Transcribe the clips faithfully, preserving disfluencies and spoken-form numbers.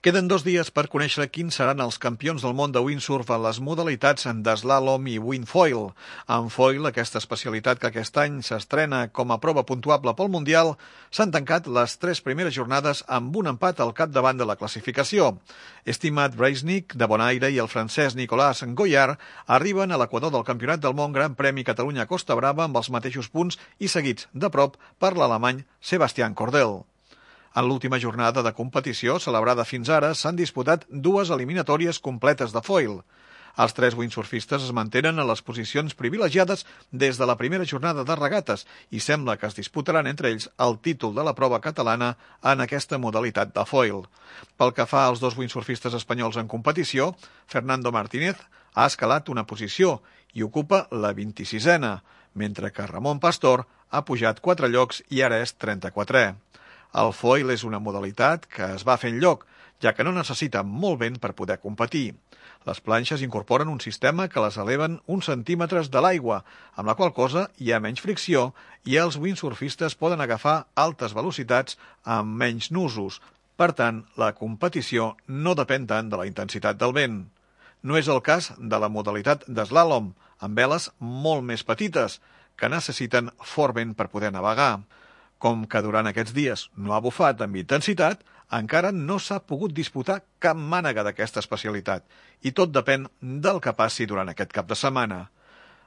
Queden dos dies per conèixer quins seran els campions del món de windsurf en les modalitats d'eslàlom i windfoil. En foil, aquesta especialitat que aquest any s'estrena com a prova puntuable pel Mundial, s'han tancat les tres primeres jornades amb un empat al capdavant de la classificació. Estimat Breisnik, de Bonaire, i el francès Nicolas Goyard arriben a l'equador del Campionat del Món Gran Premi Catalunya Costa Brava amb els mateixos punts i seguits de prop per l'alemany Sebastian Cordel. En l'última jornada de competició, celebrada fins ara, s'han disputat dues eliminatòries completes de foil. Els tres windsurfistes es mantenen a les posicions privilegiades des de la primera jornada de regates i sembla que es disputaran entre ells el títol de la prova catalana en aquesta modalitat de foil. Pel que fa als dos windsurfistes espanyols en competició, Fernando Martínez ha escalat una posició i ocupa la vint-i-sisena, mentre que Ramon Pastor ha pujat quatre llocs i ara és trenta-quatrè. El foil és una modalitat que es va fent lloc, ja que no necessita molt vent per poder competir. Les planxes incorporen un sistema que les eleven uns centímetres de l'aigua, amb la qual cosa hi ha menys fricció i els windsurfistes poden agafar altes velocitats amb menys nusos. Per tant, la competició no depèn tant de la intensitat del vent. No és el cas de la modalitat d'eslàlom, amb veles molt més petites, que necessiten fort vent per poder navegar. Com que durant aquests dies no ha bufat amb intensitat, encara no s'ha pogut disputar cap mànega d'aquesta especialitat i tot depèn del que passi durant aquest cap de setmana.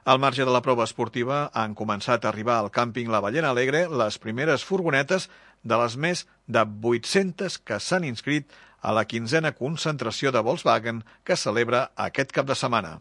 Al marge de la prova esportiva, han començat a arribar al càmping La Ballena Alegre les primeres furgonetes de les més de vuit-centes que s'han inscrit a la quinzena concentració de Volkswagen que celebra aquest cap de setmana.